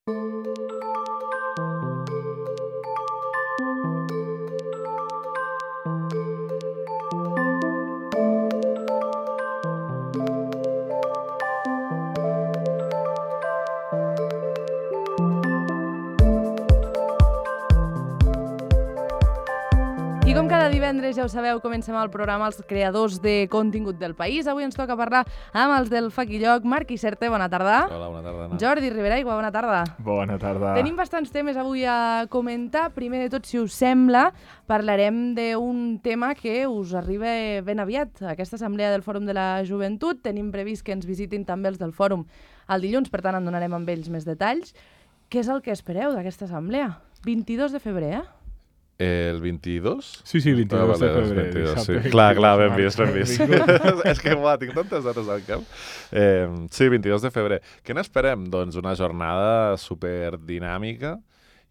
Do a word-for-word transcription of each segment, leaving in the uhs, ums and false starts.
Com cada divendres, ja ho sabeu, comencem el programa Els creadors de contingut del país. Avui ens toca parlar amb els del Faquilloc. Marc Iserte, bona tarda. Hola, bona tarda, Anna. Jordi Riberaigua, bona tarda. Bona tarda. Tenim bastants temes avui a comentar. Primer de tot, si us sembla, parlarem d'un tema que us arriba ben aviat. Aquesta assemblea del Fòrum de la Joventut. Tenim previst que ens visitin també els del Fòrum el dilluns, per tant en donarem amb ells més detalls. Què és el que espereu d'aquesta assemblea? vint-i-dos de febrer, eh? El vint-i-dos? Sí, sí, vint-i-dos ah, vale, de febrer. vint-i-dos, sí. Dissabte, Clar, clar, ben vist, ben vist. És que, uah, tinc tantes dates al cap. Eh, sí, vint-i-dos de febrer. Què n'esperem? Doncs una jornada superdinàmica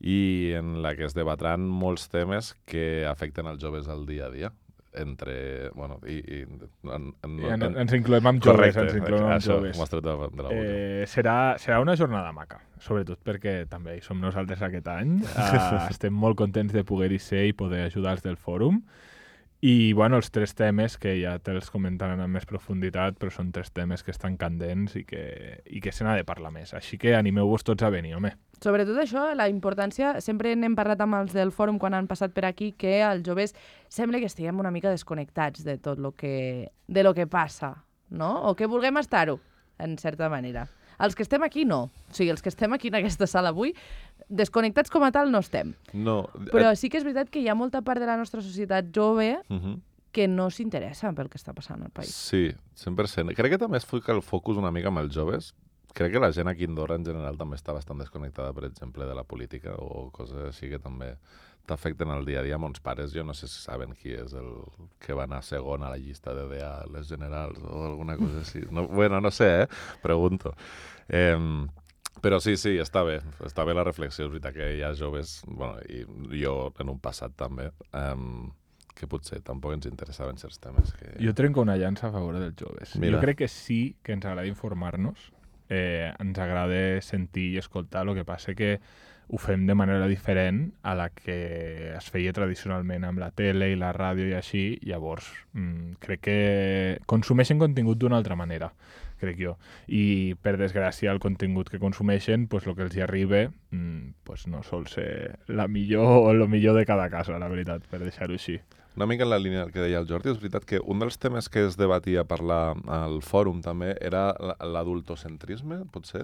i en la que es debatran molts temes que afecten els joves al dia a dia. Entre... Bueno, i... i en, en, I en, en, ens incloem amb joves. correcte, ens incloem amb això, joves. m'ho has tret de, de la boca. Eh, serà, serà una jornada maca, sobretot perquè també hi som nosaltres aquest any. Uh, estem molt contents de poder-hi ser i poder ajudar els del fòrum. I, bueno, els tres temes, que ja te'ls comentaran amb més profunditat, però són tres temes que estan candents i que, i que se n'ha de parlar més. Així que animeu-vos tots a venir, home. Sobretot això, la importància, sempre n'hem parlat amb els del fòrum quan han passat per aquí, que els joves sembla que estiguem una mica desconnectats de tot lo que, de lo que passa, no? O que vulguem estar-ho, en certa manera. Els que estem aquí, no. O sigui, els que estem aquí en aquesta sala avui, desconnectats com a tal no estem. No. Però sí que és veritat que hi ha molta part de la nostra societat jove Uh-huh. que no s'interessa pel que està passant al país. Sí, cent per cent. Crec que també es fica el focus una mica amb els joves. Crec que la gent aquí a Andorra en general també està bastant desconnectada, per exemple, de la política o coses així que també t'afecten al dia a dia. Mons pares, jo no sé si saben qui és el que va anar segon a la llista de D A a les generals o alguna cosa així. No, bueno, no sé, eh? Pregunto. Eh, però sí, sí, està bé. Està bé la reflexió. És veritat que hi ha joves, bueno, i jo en un passat també, eh, que potser tampoc ens interessaven certs temes. Que... Jo trenco una llança a favor dels joves. Mira. Jo crec que sí que ens agrada informar-nos, eh, ens agrada sentir i escoltar, el que passa que ho fem de manera diferent a la que es feia tradicionalment amb la tele i la ràdio i així, llavors mmm, crec que consumeixen contingut d'una altra manera, crec jo. I, per desgràcia, el contingut que consumeixen, pues, el que els hi arriba, mmm, pues, no sol ser la millor o el millor de cada casa, la veritat, per deixar-ho així. Una mica en la línia que deia el Jordi, és veritat que un dels temes que es debatia a parlar al fòrum també era l'adultocentrisme, potser?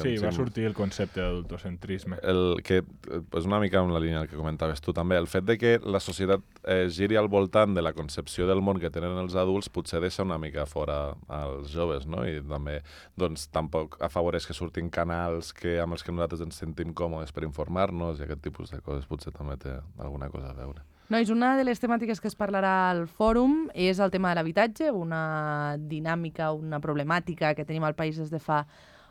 Sí, va sortir el concepte d'adultocentrisme. El que és una mica en la línia que comentaves tu també. El fet de que la societat eh, giri al voltant de la concepció del món que tenen els adults potser deixa una mica fora als joves, no? I també doncs, tampoc afavoreix que surtin canals que, amb els que nosaltres ens sentim còmodes per informar-nos i aquest tipus de coses potser també té alguna cosa a veure. Nois, una de les temàtiques que es parlarà al fòrum és el tema de l'habitatge, una dinàmica, una problemàtica que tenim al país des de fa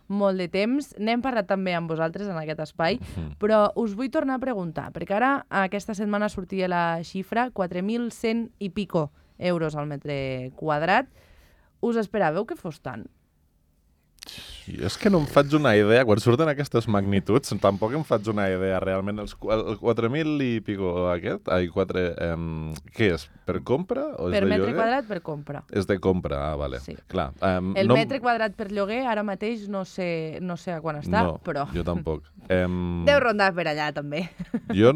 molt de temps. N'hem parlat també amb vosaltres en aquest espai, Mm. però us vull tornar a preguntar, perquè ara aquesta setmana sortia la xifra quatre mil cent i pico euros al metre quadrat. Us esperàveu que fos tant? Jo és que no em faig una idea, quan surten aquestes magnituds, tampoc em faig una idea realment. Els quatre mil i pico aquest, ai, quatre, eh, què és? Per compra o és Per de metre lloguer? quadrat per compra. És de compra, ah, vale. Sí. Clar, eh, El no... metre quadrat per lloguer ara mateix no sé, no sé a quan està, no, però jo tampoc. Eh, deu rondar per allà també. Jo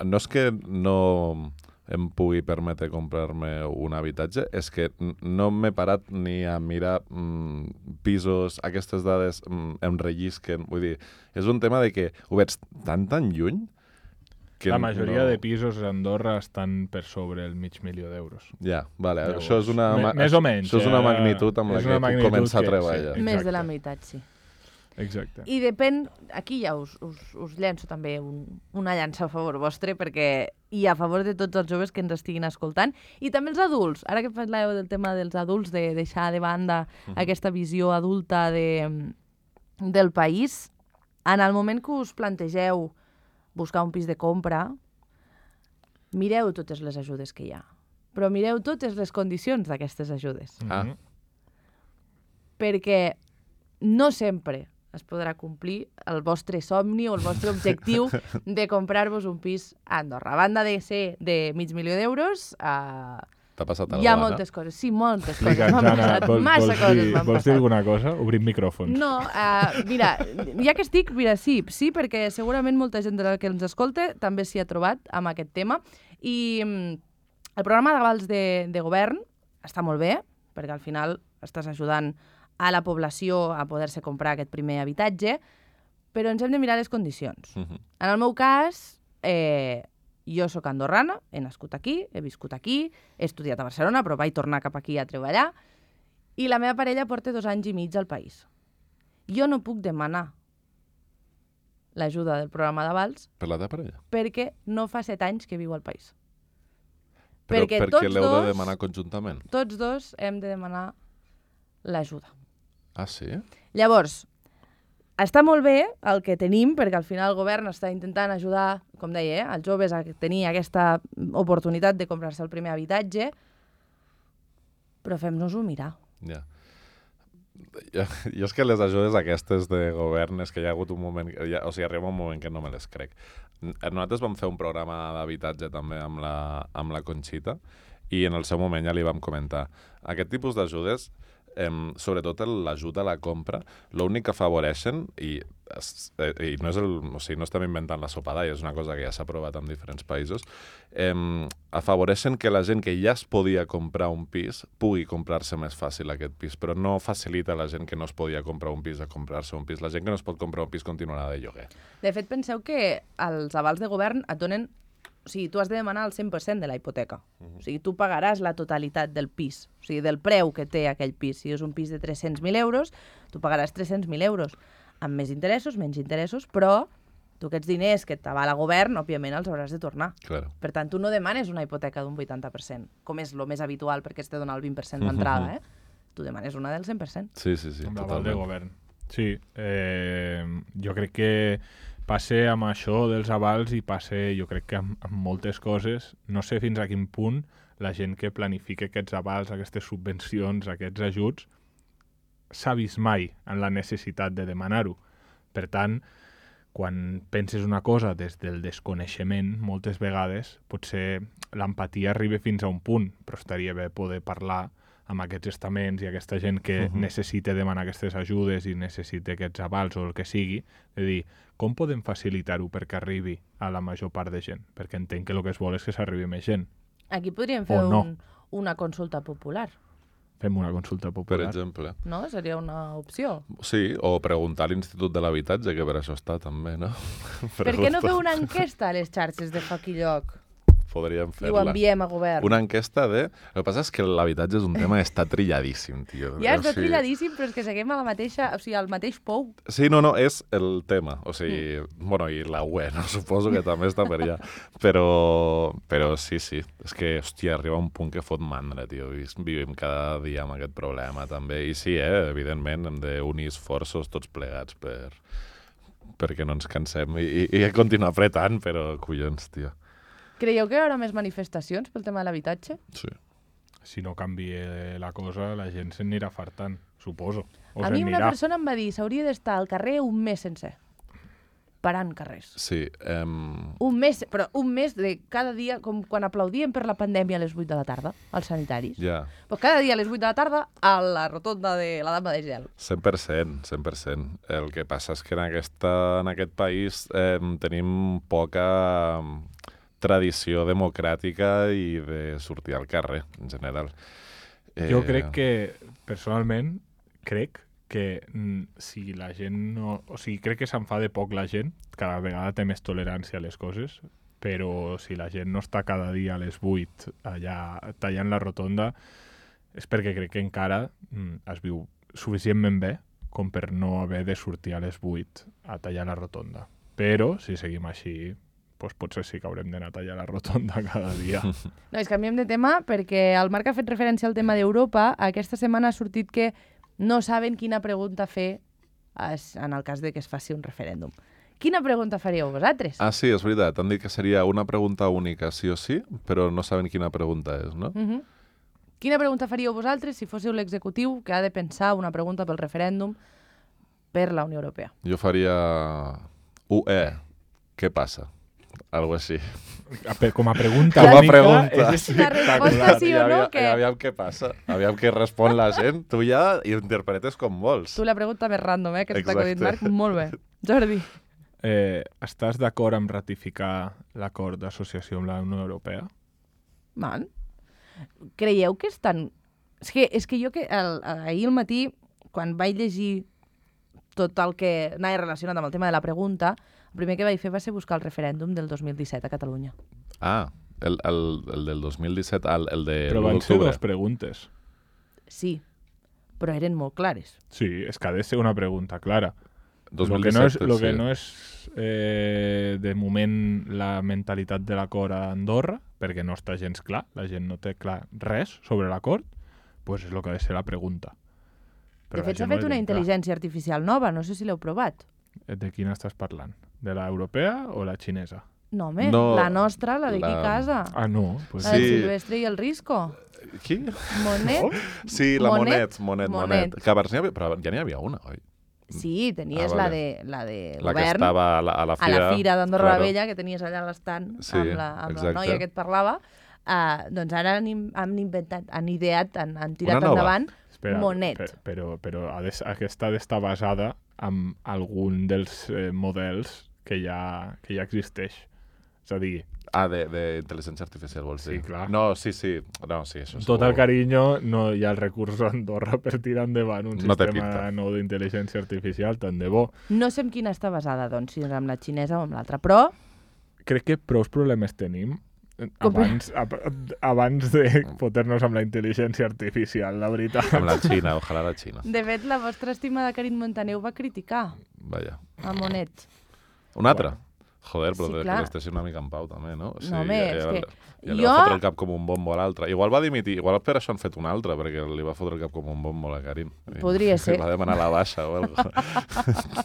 no és que no em pugui permetre comprar-me un habitatge, és que no m'he parat ni a mirar mm, pisos, aquestes dades mm, em rellisquen. Vull dir, és un tema de que ho veig tan, tan lluny que la majoria no... de pisos a Andorra estan per sobre el mig milió d'euros. Ja, vale. Llavors, Això és una, me- més o menys, això és una eh? magnitud amb la És que una puc magnitud començar a que- treballar. sí. Més de la Exacte. meitat, sí. Exacte. I depèn, aquí ja us, us, us llenço també un, una llança a favor vostre, perquè i a favor de tots els joves que ens estiguin escoltant, i també els adults. Ara que parleu del tema dels adults, de deixar de banda uh-huh. aquesta visió adulta de, del país, en el moment que us plantegeu buscar un pis de compra, mireu totes les ajudes que hi ha, però mireu totes les condicions d'aquestes ajudes. Ah. Mhm. Perquè no sempre es podrà complir el vostre somni o el vostre objectiu de comprar-vos un pis a Andorra. A banda de ser de mig milió d'euros, uh, T'ha passat hi ha alguna, moltes coses. Sí, moltes coses. Explica'ns, M'han Anna, passat, vols, massa vols, coses dir, m'han vols dir passat. alguna cosa? Obrim micròfons. No, uh, mira, ja que estic, mira, sí, sí, perquè segurament molta gent de la que ens escolta també s'hi ha trobat amb aquest tema. I mm, el programa d'avals de, de govern està molt bé, perquè al final estàs ajudant a la població a poder-se comprar aquest primer habitatge, però ens hem de mirar les condicions. Uh -huh. En el meu cas, eh, jo sóc andorrana, he nascut aquí, he viscut aquí, he estudiat a Barcelona, però vaig tornar cap aquí a treballar, i la meva parella porta dos anys i mig al país. Jo no puc demanar l'ajuda del programa d'avals Per la teva parella? perquè no fa set anys que viu al país. Però perquè perquè tots l'heu dos, de demanar conjuntament? tots dos hem de demanar l'ajuda. Ah, sí? Llavors, està molt bé el que tenim, perquè al final el govern està intentant ajudar, com deia, eh, els joves a tenir aquesta oportunitat de comprar-se el primer habitatge, però fem-nos-ho mirar. Ja. Jo, jo és que les ajudes aquestes de govern és que hi ha hagut un moment, ja, o sigui, arriba un moment que no me les crec. Nosaltres vam fer un programa d'habitatge també amb la, amb la Conxita i en el seu moment ja li vam comentar aquest tipus d'ajudes, eh, sobretot l'ajut a la compra, l'únic que afavoreixen, i, eh, i no, és el, o sigui, no estem inventant la sopa d'all, és una cosa que ja s'ha provat en diferents països, eh, afavoreixen que la gent que ja es podia comprar un pis pugui comprar-se més fàcil aquest pis, però no facilita la gent que no es podia comprar un pis a comprar-se un pis. La gent que no es pot comprar un pis continuarà de lloguer. De fet, penseu que els avals de govern et donen... O sigui, tu has de demanar el cent per cent de la hipoteca. O sigui, tu pagaràs la totalitat del pis, o sigui, del preu que té aquell pis. Si és un pis de tres-cents mil euros, tu pagaràs tres-cents mil euros. Amb més interessos, menys interessos, però tu aquests diners que t'avala el govern, òbviament els hauràs de tornar. Claro. Per tant, tu no demanes una hipoteca d'un vuitanta per cent, com és el més habitual perquè es té donar el vint per cent d'entrada, eh? Tu demanes una del cent per cent. Sí, sí, sí, amb l'aval de totalment. govern. Sí, eh, jo crec que passe amb això dels avals i passe, jo crec que amb, amb moltes coses, no sé fins a quin punt la gent que planifica aquests avals, aquestes subvencions, aquests ajuts, s'ha vist mai en la necessitat de demanar-ho. Per tant, quan penses una cosa des del desconeixement, moltes vegades, potser l'empatia arriba fins a un punt, però estaria bé poder parlar amb aquests estaments i aquesta gent que uh-huh. necessita demanar aquestes ajudes i necessita aquests avals o el que sigui, de dir, com podem facilitar-ho perquè arribi a la major part de gent? Perquè entenc que el que es vol és que s'arribi més gent. Aquí podríem fer O no. un, una consulta popular, Fem una consulta Per popular. exemple. no? Seria una opció. Sí, o preguntar a l'Institut de l'Habitatge, que per això està també, no? Per què no feu una enquesta a les xarxes de Foc i Lloc Podríem i ho fer-la. enviem a govern? Una enquesta de... El que passa és que l'habitatge és un tema que està trilladíssim, tio. Ja O està sigui- trilladíssim, però és que seguim a la mateixa, o sigui, al mateix pou. Sí, no, no, és el tema. O sigui, mm. bueno, i la U E, no? Suposo que també està per allà. Però, però sí, sí. És que, hòstia, arriba un punt que fot mandra, tio. I vivim cada dia amb aquest problema, també. I sí, eh, evidentment, hem d'unir esforços tots plegats per perquè no ens cansem i, i, i continuar apretant, però collons, tio. Creieu que hi haurà més manifestacions pel tema de l'habitatge? Sí. Si no canvia la cosa, la gent se'n anirà fartant, suposo. O A se'n mi una anirà. persona em va dir s'hauria d'estar al carrer un mes sencer, parant carrers. Sí, um... Un mes, però un mes de cada dia, com quan aplaudien per la pandèmia a les vuit de la tarda, als sanitaris. ja, Pues cada dia a les vuit de la tarda a la rotonda de la Dama de Gel. cent per cent, cent per cent. El que passa és que en, aquesta, en aquest país eh, tenim poca eh, tradició democràtica i de sortir al carrer, en general. Eh, Jo crec que, personalment, crec que mm, si la gent no... O sigui, crec que s'enfada poc la gent, cada vegada té més tolerància a les coses, però si la gent no està cada dia a les vuit allà tallant la rotonda, és perquè crec que encara mm, es viu suficientment bé com per no haver de sortir a les vuit a tallar la rotonda. Però, si seguim així, doncs potser sí que haurem d'anar a tallar la rotonda cada dia. No, és canviem de tema perquè el Marc ha fet referència al tema d'Europa. Aquesta setmana ha sortit que no saben quina pregunta fer en el cas de que es faci un referèndum. Quina pregunta faríeu vosaltres? Ah, sí, és veritat. Han dit que seria una pregunta única, sí o sí, però no saben quina pregunta és, no? Uh -huh. Quina pregunta faríeu vosaltres si fóssiu l'executiu que ha de pensar una pregunta pel referèndum per la Unió Europea. Jo faria U E, què passa? Algo així. Com a pregunta Com a única, pregunta. és La resposta espectacular. sí o no, aviam, que... aviam què passa. Aviam què respon la gent. Tu ja hi interpretes com vols. Tu la pregunta més random, eh, que t'ha acudit, Marc. Exacte. Molt bé. Jordi. Eh, estàs d'acord amb ratificar l'acord d'associació amb la Unió Europea? Man. Creieu que és tan... És que, és que jo que el, ahir al matí, quan vaig llegir tot el que anava relacionat amb el tema de la pregunta, el primer que vaig fer va ser buscar el referèndum del dos mil disset a Catalunya. Ah, el, el, el del dos mil disset, el, el de Però l'u van ser d'octubre. dues preguntes. Sí, però eren molt clares. Sí, és que ha de ser una pregunta clara. dos Lo mil que no és, disset, lo que sí. no és eh, de moment la mentalitat de l'acord a Andorra, perquè no està gens clar, la gent no té clar res sobre l'acord, pues és el que ha de ser la pregunta. De la fet, s'ha gent no fet la una té clar. intel·ligència artificial nova, no sé si l'heu provat. De quina estàs parlant? De la europea o la xinesa? No, home, No, la nostra, la d'aquí la- a casa. Ah, no. Pues La del Sí. Silvestre i el Risco. Qui? Monet. Sí, la Monet. Monet, Monet, Monet. Monet. Que a Barcelona, però ja n'hi havia una, oi? Sí, tenies Ah, la vale. de, la de La que govern, estava a la, a la a fira. la fira d'Andorra claro. la Vella, que tenies allà a l'estant Sí, amb, la, amb la exacte. noia que et parlava. Uh, doncs ara han, im- han inventat, han ideat, han, han tirat Una nova. endavant Espera, Monet. per- però, però ha de, aquesta ha d'estar basada en algun dels eh, models que ja, que ja existeix. És a dir, Ah, d'intel·ligència artificial, vols Sí, dir? clar. No, sí, sí. No, sí, això tot el segur. carinyo, no hi ha el recurs a Andorra per tirar endavant un No té sistema pinta. nou d'intel·ligència artificial, tant de bo. No sé amb quina està basada, doncs, si és amb la xinesa o amb l'altra, però Crec que prous problemes tenim eh, Com- abans, ab, abans de fotre-nos amb la intel·ligència artificial, la veritat. Amb la Xina, ojalà la Xina. de fet la vostra estimada Karin Montaner ho va criticar Vaja. a Monet. Un altre? Joder, però Sí, sí, que clar. les deixi una mica en pau, també, no? O No, home, és ja, que ja li jo- va fotre el cap com un bombo a l'altre. Igual va dimitir, igual per això han fet un altre, perquè li va fotre el cap com un bombo a la Karin. I Podria ser. li va demanar la baixa o alguna cosa.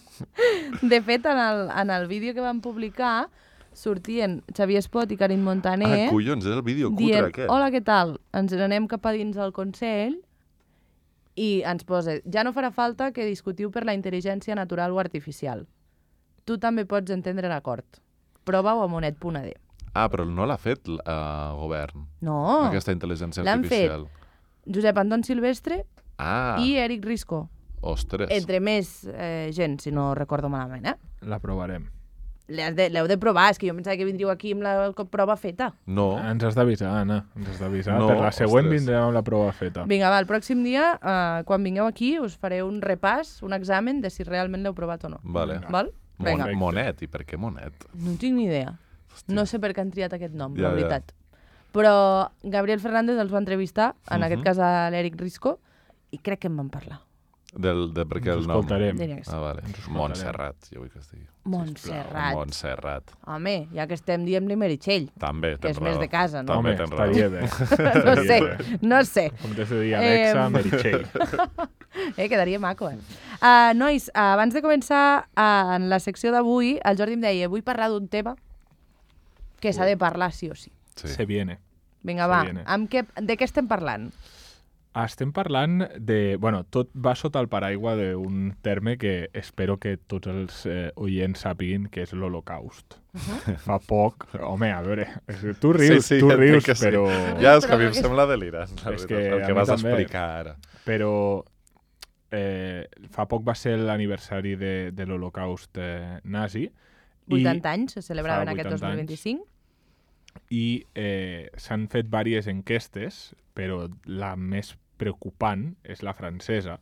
De fet, en el, en el vídeo que van publicar sortien Xavier Espot i Karin Montaner Ah, collons, és el vídeo cutre dient, aquest. hola, què tal? Ens n'anem cap a dins del Consell i ens posa, ja no farà falta que discutiu per la intel·ligència natural o artificial. Tu també pots entendre l'acord. Prova-ho a monet punt a d. Ah, però no l'ha fet el uh, govern, No, aquesta intel·ligència l'han fet. artificial. Josep Anton Silvestre Ah, i Eric Risco. ostres. Entre més eh, gent, si no recordo malament, eh? La provarem. L'heu de, l'heu de provar, és que jo pensava que vindríeu aquí amb la cop- prova feta. No, Ens has d'avisar, Anna. Ens has d'avisar. No, per la següent ostres. vindrem amb la prova feta. Vinga, va, el pròxim dia, eh, quan vingueu aquí, us faré un repàs, un examen de si realment l'heu provat o no. vale. Vinga. Val? Vinga. Mon Monet, i per què Monet? No tinc ni idea. No sé per què han triat aquest nom, Ja, la ja. veritat. Però Gabriel Fernández els va entrevistar, en Mhm. aquest cas a l'Eric Risco, i crec que en van parlar. Del, de per què Ens el nom? escoltarem. Diria que sí. Ah, vale. Ens escoltarem. Montserrat, jo vull que es digui. Montserrat. Montserrat. Home, ja que estem, diem-li Meritxell, També, que tens és més raó. de casa, no? També Home, tens raó. estaria bé. No sé, Estaria bé. no sé. En comptes de dir Alexa, Em. Meritxell. Eh, quedaria maco, eh? Uh, nois, uh, abans de començar uh, en la secció d'avui, el Jordi em deia, vull parlar d'un tema que s'ha de parlar sí o sí. Sí. Se viene. Vinga, Se va, viene. amb què, de què estem parlant? Estem parlant de... Bueno, tot va sota el paraigua d'un terme que espero que tots els eh, oients sàpiguin, que és l'Holocaust. Fa poc... Home, a veure, és que tu rius, sí, tu ja entenc rius, que sí. però... Ja, és que a mi Però em que- sembla delirant, la És veritat, que el a que mi vas també. explicar ara. Però eh, fa poc va ser l'aniversari de, de l'Holocaust eh, nazi. vuitanta anys, se celebraven fa aquest vuitanta dos mil vint-i-cinc. I eh, s'han fet diverses enquestes, però la més preocupant és la francesa,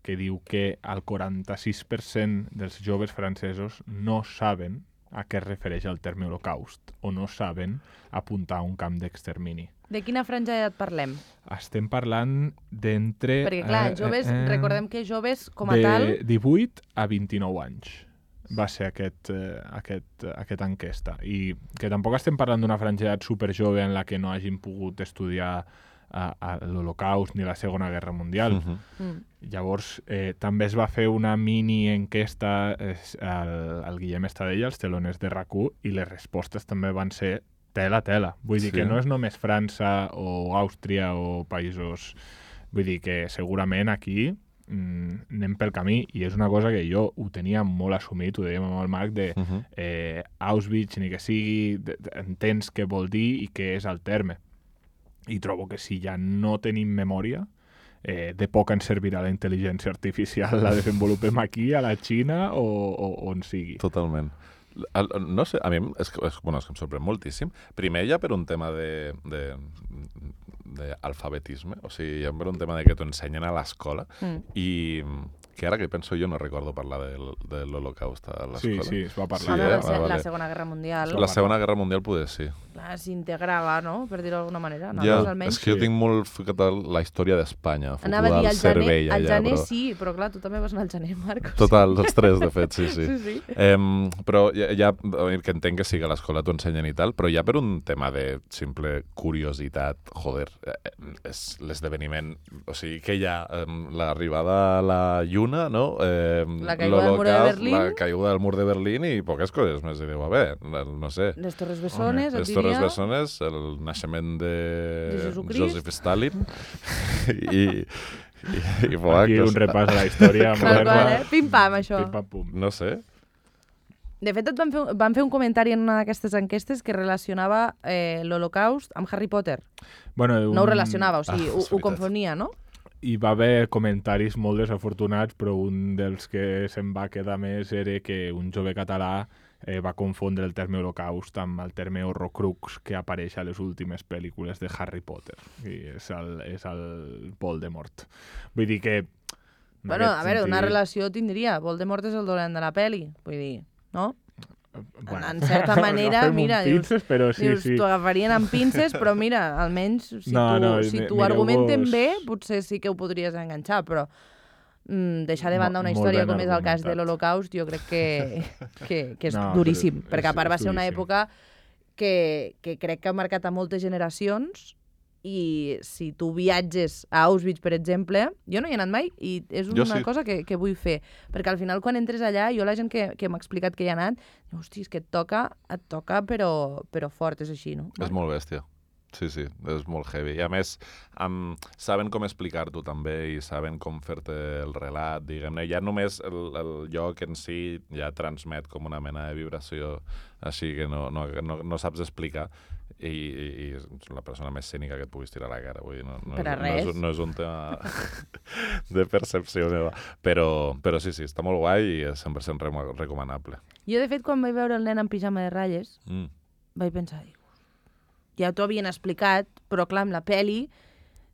que diu que el quaranta-sis per cent dels joves francesos no saben a què es refereix el terme holocaust o no saben apuntar a un camp d'extermini. De quina franja d'edat parlem? Estem parlant d'entre... Perquè, clar, eh, joves, eh, eh, recordem que joves com a de tal... divuit a vint-i-nou anys va ser aquest, eh, aquest, aquesta enquesta. I que tampoc estem parlant d'una franja d'edat superjove en la que no hagin pogut estudiar a, a l'Holocaust ni la Segona Guerra Mundial. Mhm. Mm. Llavors, eh, també es va fer una mini enquesta eh, al, al Guillem Estadella, als teloners de RAC u, i les respostes també van ser tela, tela. Vull dir Sí. que no és només França o Àustria o països... Vull dir que segurament aquí mm, anem pel camí, i és una cosa que jo ho tenia molt assumit, ho dèiem amb el Marc, de Uh -huh. eh, Auschwitz, ni que sigui, de, de, entens què vol dir i què és el terme. I trobo que si ja no tenim memòria, eh, de poc ens servirà la intel·ligència artificial, la desenvolupem aquí, a la Xina o, o on sigui. Totalment. El, no sé, a mi és que, és, bueno, és que em sorprèn moltíssim. Primer ja per un tema de, de, de alfabetisme, o sigui, ja per un tema de que t'ho ensenyen a l'escola Mm. i que ara que penso jo no recordo parlar del, de l'Holocaust a l'escola. Sí, sí, es va Sí, Home, parlar. eh? la, se Ah, vale. la Segona Guerra Mundial La Segona Guerra Mundial poder sí. clar, s'integrava, no?, per dir-ho d'alguna manera. Ja, Nosaltres, almenys. és que jo sí. tinc molt ficat a la història d'Espanya, Anava a fotuda dir, al al gener, cervell al allà, gener però... sí, però clar, tu també vas anar al gener, Marcos. Total, els tres, de fet, sí, sí. Sí, sí. Em, però ja, ja, a veure, que entenc que sí que a l'escola t'ho ensenyen i tal, però ja per un tema de simple curiositat, joder, eh, és l'esdeveniment, o sigui, que hi ha em, l'arribada a la Lluna, no? Em, La caiguda del mur de l'Holocaust, Berlín. La caiguda del mur de Berlín i poques coses més. I diu, a veure, no sé, Les Torres Bessones, et les Torres diria. Bessones, el naixement de, De Jesucrist. Joseph Stalin i, i, i voilà, Aquí que un és- repàs a la història Tal qual, moderna. eh? Pim-pam, això. Pim, pam, pum. No sé, De fet, et van fer, van fer un comentari en una d'aquestes enquestes que relacionava eh, l'Holocaust amb Harry Potter. Bueno, un... No ho relacionava, o sigui, Ah, ho, és ho veritat. confonia, no? Hi va haver comentaris molt desafortunats, però un dels que se'n va quedar més era que un jove català eh, va confondre el terme Holocaust amb el terme Horrocrux que apareix a les últimes pel·lícules de Harry Potter. I és el, és el Voldemort. Vull dir que... en Bueno, aquest a veure, una sentit, relació tindria. Voldemort és el dolent de la peli, vull dir, no? bueno, en certa manera, agafem un mira, dius- pinces, però sí, Dius, sí. t'ho agafarien amb pinces, però mira, almenys si No, tu, no, si mi- t'ho argumenten mireu-vos- bé, potser sí que ho podries enganxar, però mm, deixar de banda Mo- una molt història ben com és el cas de argumentat. l'Holocaust, jo crec que, que, que és No, duríssim, és- perquè a part va és ser una duríssim. època que, que crec que ha marcat a moltes generacions i si tu viatges a Auschwitz, per exemple, jo no hi he anat mai i és Jo una sí. cosa que, que vull fer, perquè al final quan entres allà, jo la gent que, que m'ha explicat que hi ha anat, diu, hosti, és que et toca, et toca però, però fort, és així, no? és molt bèstia. Sí, sí, és molt heavy. I a més, um, saben com explicar-t'ho també i saben com fer-te el relat, diguem-ne. Ja només el, el lloc en si ja transmet com una mena de vibració així que no, no, no, no saps explicar. I, i, i és la persona més cènica que et puguis tirar a la cara. Vull dir, no, no, Per a és, no, és, res. no és un tema de percepció meva. Però, però sí, sí, està molt guai i és cent per cent remo- recomanable. Jo, de fet, quan vaig veure el nen en pijama de ratlles, Mm. vaig pensar, dius, ja t'ho havien explicat, però clar, amb la peli,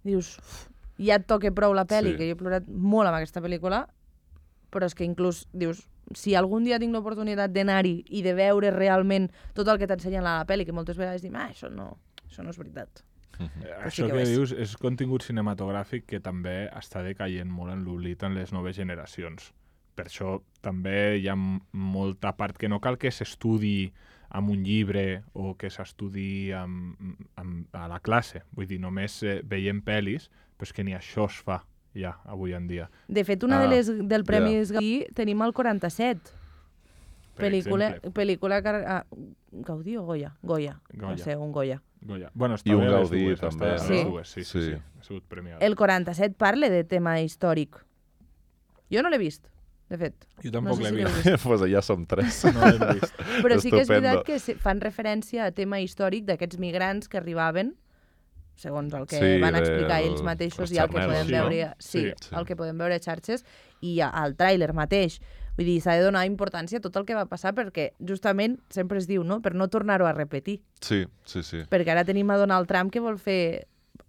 dius, uf, ja et toca prou la peli, Sí. que jo he plorat molt amb aquesta pel·lícula, però és que inclús, dius, si algun dia tinc l'oportunitat d'anar-hi i de veure realment tot el que t'ensenyen a la peli, que moltes vegades dic, ah, això no, això no és veritat. Eh, Però sí Això que ho que és. dius és contingut cinematogràfic que també està decaient molt en l'oblit en les noves generacions. Per això també hi ha m- molta part que no cal que s'estudi amb un llibre o que s'estudi amb, amb, a la classe. Vull dir, només eh, veiem pel·lis, però és que ni això es fa ja, avui en dia. De fet, una Ah, de les del Premis Gaudí tenim el quaranta-set. Per Pel·lícula, exemple. pel·lícula que... Ah, Gaudí o Goya? Goya. Goya. Va ser un Goya. Goya. Bueno, I un estava a les Gaudí, dues, també, estava a les no? dues, sí, sí, Sí. sí. Ha sigut premiat. El quaranta-set parla de tema històric. Jo no l'he vist, de fet. Jo tampoc no sé l'he si l'heu vist. vist. pues ja som tres. No l'he vist. Però sí que és Estupendo. veritat que se- fan referència a tema històric d'aquests migrants que arribaven, segons el que Sí, van de- explicar ells mateixos els i el que xarnelos, podem sí, veure, no? sí, Sí. Sí. el que podem veure a xarxes i a- al tràiler mateix. Vull dir, s'ha de donar importància a tot el que va passar perquè justament sempre es diu, no?, per no tornar-ho a repetir. Sí, sí, sí. Perquè ara tenim a Donald Trump que vol fer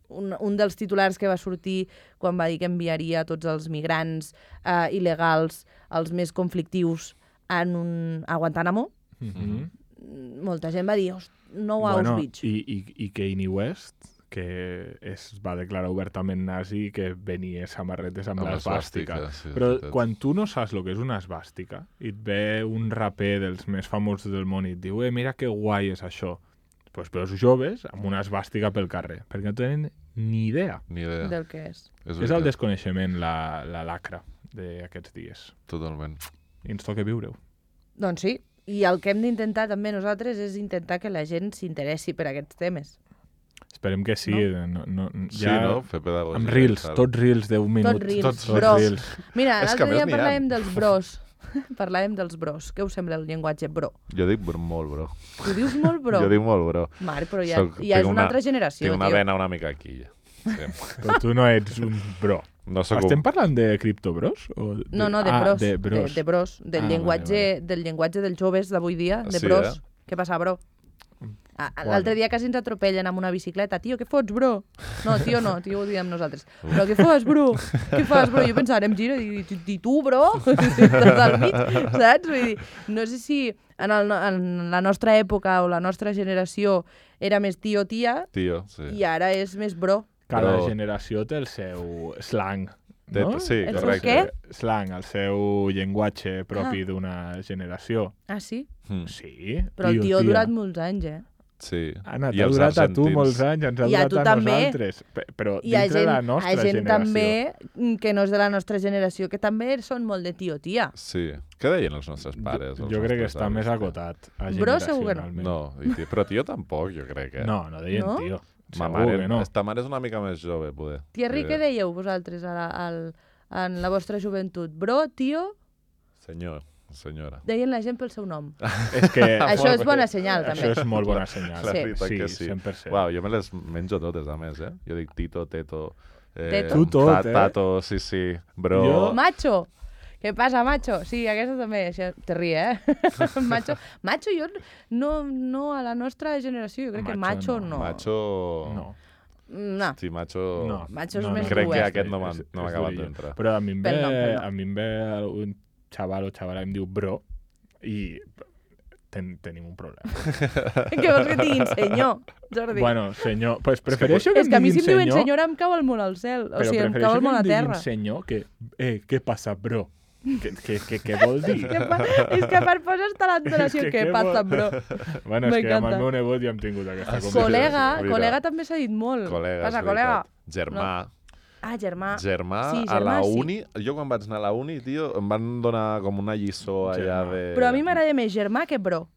un, un dels titulars que va sortir quan va dir que enviaria tots els migrants eh, il·legals, els més conflictius, en un, a Guantánamo. Mhm. Molta gent va dir, "Host, no a Bueno, Auschwitz". i, i, i Kanye West, que es va declarar obertament nazi, que venia samarretes amb, Amb l'esvàstica. l'esvàstica, sí, és Però veritat. quan tu no saps el que és una esvàstica i et ve un raper dels més famosos del món i et diu, eh, mira que guai és això, doncs veus joves amb una esvàstica pel carrer, perquè no tenen ni idea. Ni idea. Del que és. És, És el veritat, desconeixement, la, la lacra d'aquests dies. Totalment. I ens toca viure-ho. Doncs sí, i el que hem d'intentar també nosaltres és intentar que la gent s'interessi per aquests temes. Esperem que sí. No? No, no, Sí, ja... no? Fer pedagogia. Amb reels, tal. tots reels d'un minut. Tots reels, tots bros. reels. Mira, És que l'altre a més dia n'hi ha. parlàvem dels bros. Parlàvem dels bros. Què us sembla el llenguatge bro? Jo dic br- molt, bro. Tu dius molt bro? Jo dic molt, bro. Mare, però ja, Soc- ja és tinc una, una- altra generació, Tinc una tio. vena una mica aquí, ja. Sí. Però tu no ets un bro. No soc Estem un... parlant de criptobros? O de... No, no, de ah, bros. de De, bros. de bros. Del, Ah, llenguatge, vale, del llenguatge dels joves d'avui dia, de Sí, bros. eh? Què passa, bro? Ah, Bueno. L'altre dia quasi ens atropellen amb una bicicleta. Tio, què fots, bro? No, tio, no, tio, ho diem nosaltres. Però què fas, bro? Què fas, bro? Jo pensava, em giro i dic, i tu, bro? Estàs al mig, saps? Vull dir, no sé si en, el, en la nostra època o la nostra generació era més tio-tia Tio, sí. i ara és més bro. Cada Però- generació té el seu slang. Té- No? sí, El seu correcte. què? Slang, el seu llenguatge propi Ah. d'una generació. Ah, sí? Mm, Sí. Però el tio ha tia. durat molts anys, eh? sí. Anna, I t'ha els durat a tu argentins. molts anys, ens ha I a durat tu a també. nosaltres. Pe- Però Hi ha dintre gent, de la nostra hi ha gent generació. també mm, que no és de la nostra generació, que també són molt de tio-tia. Sí. Què deien els nostres pares? Jo, els jo crec que nostres està avis? més acotat. Bro, segur que no. generacionalment. No, i tio, però tio tampoc, jo crec que... No, no deien No? tio. Ma Segur mare, que no. ta mare és una mica més jove, poder. Thierry, Jo què crec. dèieu vosaltres a la, al, en la vostra joventut? Bro, tio, Senyor, senyora. deien la gent pel seu nom. És que Això és bona senyal, també. això és molt bona senyal. La Sí. veritat sí, que sí. cent per cent. Uau, jo me les menjo totes, a més, eh? Jo dic Tito, Teto... Eh, Teto. Tu tot, ta- eh? Tato, sí, sí. Bro... Jo- Macho! Què passa, macho? Sí, aquesta també, això, te rie, eh? macho, macho, jo no, no a la nostra generació, jo crec que Macho macho no. no. Macho... No. No. Hosti, macho... No. Macho és no, més no, Crec dur, que eh? aquest no m'ha És- no m'ha és acabat durillo. d'entrar. Però a mi em ve, Pel nom, pel nom. a mi em ve un xaval o xavala em diu bro i ten, tenim un problema. Què vols que et diguin senyor, Jordi? Bueno, senyor, pues prefereixo que, és que a em mi si diguin em diuen senyor, senyora em cau el món al cel. O però sigui, em cau prefereixo el que món a em diguin terra. senyor que, eh, què passa, bro? Què, què, què, què vol dir? Que pa- és que per posar està l'entonació, És que què què passa, vol- bro? Bueno, és que amb M'encanta. el meu nebot ja hem tingut aquesta Ah, sí? conversació. Col·lega, Mira. col·lega també s'ha dit molt. Col·lega, Passa, és col·lega. veritat. Germà. Ah, germà. Germà, Sí, a la germà, sí. uni, jo quan vaig anar a la uni, tio, em van donar com una lliçó allà Germà. de... Però a mi m'agrada més germà que bro.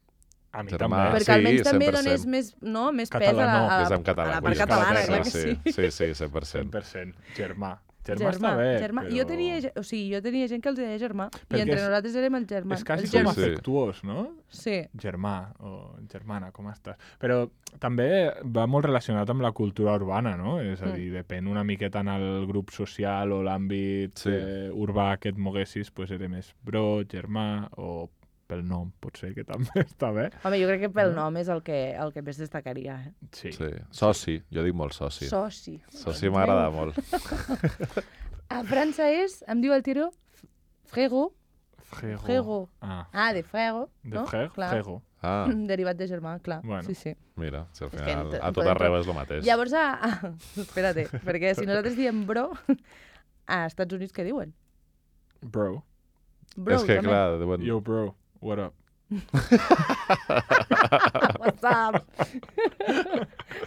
A mi Germà. també. Ah, Perquè sí, almenys també cent per cent. dones més, no, més pes a la, Català, no, a, És la, en català. a la vull part dir, catalana, sí, clar que sí. sí. Sí, sí, cent per cent cent. per cent. Germà. Germà està bé, germà. però... Jo tenia, ge- o sigui, jo tenia gent que els deia germà, Perquè i entre és- nosaltres érem el germà. És quasi el Sí, com germà. sí. afectuós, no? Sí. Germà o germana, com estàs? Però també va molt relacionat amb la cultura urbana, no? És a Mm. dir, depèn una miqueta en el grup social o l'àmbit Sí. eh, urbà que et moguessis, pues era més bro, germà o pel nom, potser, que també està bé. Home, jo crec que pel No? nom és el que, el que més destacaria. Eh? Sí. Sí. Soci, jo dic molt soci. Soci. Soci m'agrada molt. A França és, em diu el tiro, frego. Frego. Frego. Ah, Ah, de frego, de no? freg, Clar. frego. Ah, Derivat de germà, clar. Bueno. Sí, sí. mira, si al És que final ent- a tot podem arreu tot. és el mateix. Llavors, a... a... espérate, perquè si nosaltres diem bro, a Estats Units què diuen? Bro. Bro, és que, també. clar, diuen... Yo, bro, what up? What's up?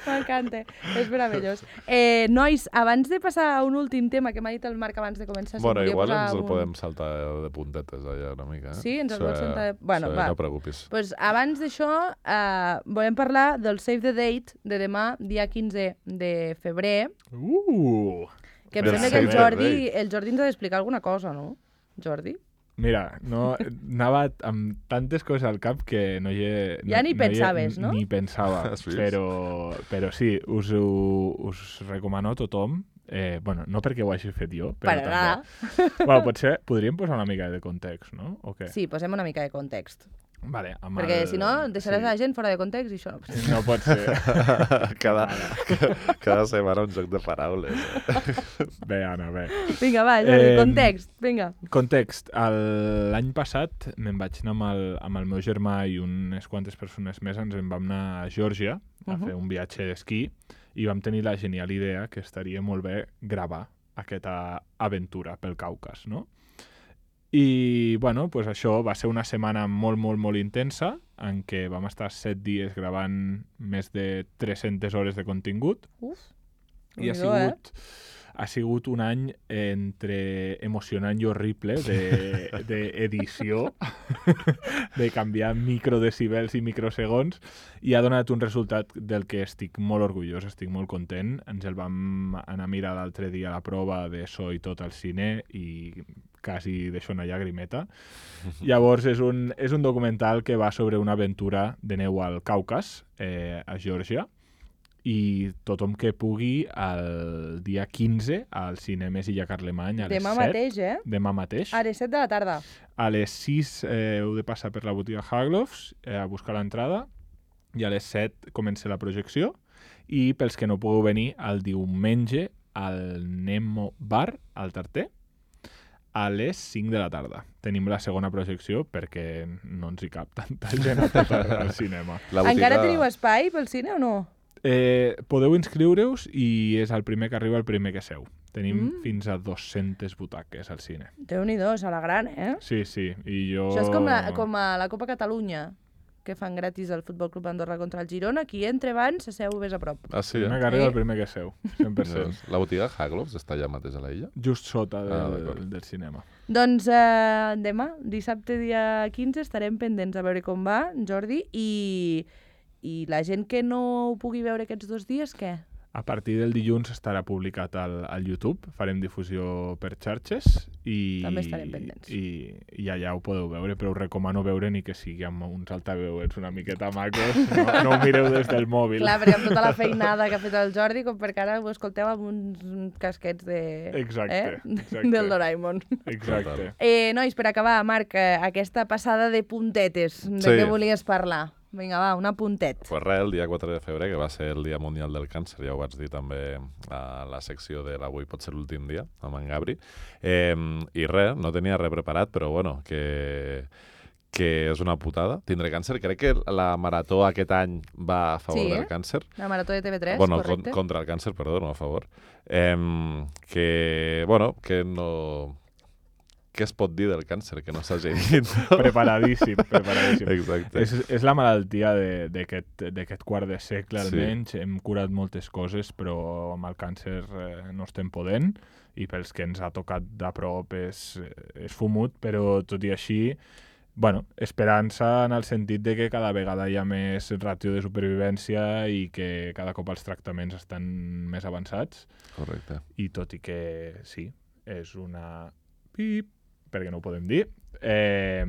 M'encanta, és meravellós. Eh, nois, abans de passar a un últim tema que m'ha dit el Marc abans de començar... si Bueno, volia igual posar ens el un- podem saltar de puntetes allà una mica. Eh? Sí, ens el Això, vols saltar de- Bueno, això, va. No preocupis. Pues abans d'això, eh, volem parlar del Save the Date de demà, dia quinze de febrer, Uh! que em Del sembla que el Save the Jordi, el Jordi ens ha d'explicar alguna cosa, no? Jordi? Mira, no, anava amb tantes coses al cap que no hi he... Ja no, ni no hi he- pensaves, no? Ni pensava, Has vist? però, però sí, us, ho, us recomano a tothom. Eh, bueno, no perquè ho hagi fet jo, però Per anar. també. Bueno, potser podríem posar una mica de context, no? O què? Sí, posem una mica de context. Vale, amb Perquè el... si no, deixaràs sí. la gent fora de context i això no passa. No pot ser. cada, cada setmana un joc de paraules. Eh? Bé, Anna, bé. Vinga, va, Jordi, Em, context, vinga. Context. El- L'any passat me'n vaig anar amb el, amb el meu germà i unes quantes persones més, ens en vam anar a Geòrgia a Mhm. fer un viatge d'esquí i vam tenir la genial idea que estaria molt bé gravar aquesta aventura pel Caucas, no? I, bueno, pues això va ser una setmana molt, molt, molt intensa en què vam estar set dies gravant més de tres-centes hores de contingut Uf, i ha Déu-n'hi-do, sigut, ha sigut un any entre emocionant i horrible d'edició, de, de canviar microdecibels i microsegons, i ha donat un resultat del que estic molt orgullós, estic molt content. Ens el vam anar a mirar l'altre dia a la prova de so i tot al cine i quasi deixo una llagrimeta. Llavors, és un, és un documental que va sobre una aventura de neu al Caucas, eh, a Geòrgia, i tothom que pugui el dia quinze al Cinemes Illa Carlemany a les Demà set. mateix, eh? Demà mateix. A les set de la tarda. A les sis eh, heu de passar per la botiga Haglofs eh, a buscar l'entrada i a les set comença la projecció, i pels que no pugueu venir el diumenge al Nemo Bar, al Tarter, a les cinc de la tarda. Tenim la segona projecció perquè no ens hi cap tanta gent a tot al cinema. La botiga... Encara teniu espai pel cine o no? Eh, podeu inscriure-us i és el primer que arriba el primer que seu. Tenim Mm. fins a dues-centes butaques al cine. Déu-n'hi-do, a la gran, eh? Sí, sí. I jo... Això és com, la, com a la Copa Catalunya, que fan gratis el Futbol Club Andorra contra el Girona. Qui entra abans, s'asseu més a prop. Ah, sí, El primer eh? que arriba Sí. el primer que seu, cent per cent. La botiga Haglofs està allà mateix a la illa? Just sota del, Ah, d'acord. del cinema. Doncs eh, demà, dissabte dia quinze, estarem pendents a veure com va, Jordi, i, i la gent que no ho pugui veure aquests dos dies, què? A partir del dilluns estarà publicat al, al YouTube, farem difusió per xarxes i, També estarem pendents. i, i allà ho podeu veure, però us recomano veure ni que sigui amb uns altaveuets una miqueta macos, no, no ho mireu des del mòbil. Clar, perquè amb tota la feinada que ha fet el Jordi, com perquè ara ho escolteu amb uns casquets de... Exacte, eh? exacte. Del Doraemon. Exacte. Eh, nois, per acabar, Marc, eh, aquesta passada de puntetes, de Sí. què volies parlar? Vinga, va, un apuntet. Pues res, el dia quatre de febrer, que va ser el Dia Mundial del Càncer, ja ho vaig dir també a la secció de l'Avui pot ser l'últim dia, amb en Gabri. Eh, I res, no tenia res preparat, però bueno, que, que és una putada. Tindré càncer. Crec que la marató aquest any va a favor Sí, eh? del càncer. La marató de T V tres, bueno, correcte? con, contra el càncer, perdó, no a favor. Eh, que, bueno, que no... Què es pot dir del càncer que no s'hagi dit? Preparadíssim, preparadíssim. Exacte. És, és la malaltia de- d'aquest d'aquest quart de segle, Sí. almenys. Hem curat moltes coses, però amb el càncer eh, no estem podent, i pels que ens ha tocat de prop és, és fumut, però tot i així, bueno, esperança en el sentit de que cada vegada hi ha més ràtio de supervivència i que cada cop els tractaments estan més avançats, Correcte. i tot i que sí, és una pip, perquè no ho podem dir, eh,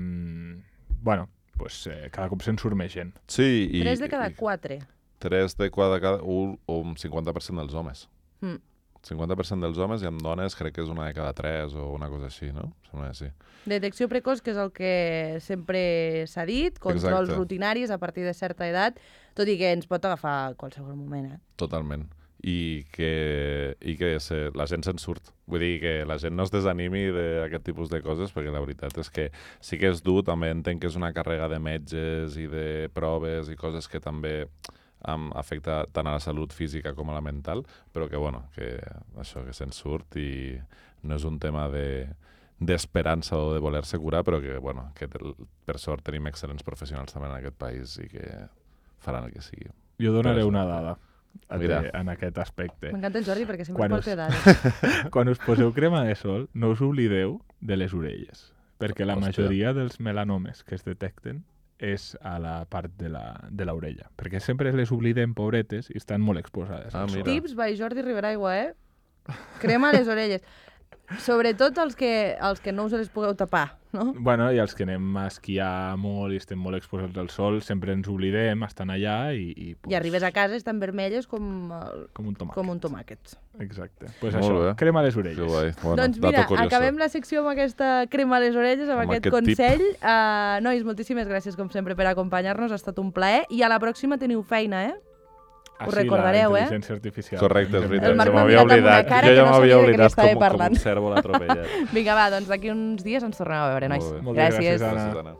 bueno, pues, eh, cada cop se'n surt més gent. Sí, i... Tres de cada i- quatre. Tres de cada, cada un, un cinquanta per cent dels homes. Mm. cinquanta per cent dels homes, i amb dones crec que és una de cada tres o una cosa així, no? Sembla que sí. Detecció precoç, que és el que sempre s'ha dit, controls Exacte. rutinaris a partir de certa edat, tot i que ens pot agafar a qualsevol moment, eh? Totalment. I que, i que se, la gent se'n surt. Vull dir que la gent no es desanimi d'aquest tipus de coses, perquè la veritat és que sí que és dur, també entenc que és una càrrega de metges i de proves i coses que també um, afecta tant a la salut física com a la mental, però que, bueno, que això, que se'n surt, i no és un tema de d'esperança o de voler-se curar, però que, bueno, que per sort tenim excel·lents professionals també en aquest país i que faran el que sigui. Jo donaré Però és- una dada a Mira. te, en aquest aspecte. M'encanta el Jordi perquè sempre Quan porta us- dades. Quan us poseu crema de sol, no us oblideu de les orelles, perquè la Hòstia. majoria dels melanomes que es detecten és a la part de la- de l'orella, perquè sempre les oblidem, pobretes, i estan molt exposades Ah, al sol. mira. Tips by Jordi Riberaigua, eh? Crema a les orelles. Sobretot els que, els que no us les pugueu tapar, no? Bueno, i els que anem a esquiar molt i estem molt exposats al sol, sempre ens oblidem, estan allà i... I, pues, I arribes a casa, estan vermelles com, el- com un tomàquet. com un tomàquet. Exacte. Pues Molt això, bé. crema a les Que orelles. guai. Bueno, Doncs dato mira, curioso. acabem la secció amb aquesta crema a les orelles, amb, Amb aquest aquest tip. consell. Uh, nois, moltíssimes gràcies, com sempre, per acompanyar-nos. Ha estat un plaer. I a la pròxima teniu feina, eh? Ah, Ho sí, recordareu, la eh? intel·ligència artificial. Correcte, és El veritat. Marc Se m'ha m'havia mirat amb una oblidat. cara Jo que ja no m'havia sabia de què oblidat estava com, com parlant. un cèrvol atropellat. Vinga, va, doncs d'aquí uns dies ens tornem a veure, nois. Molt bé. Moltes gràcies, gràcies. Anna. Gràcies, Anna.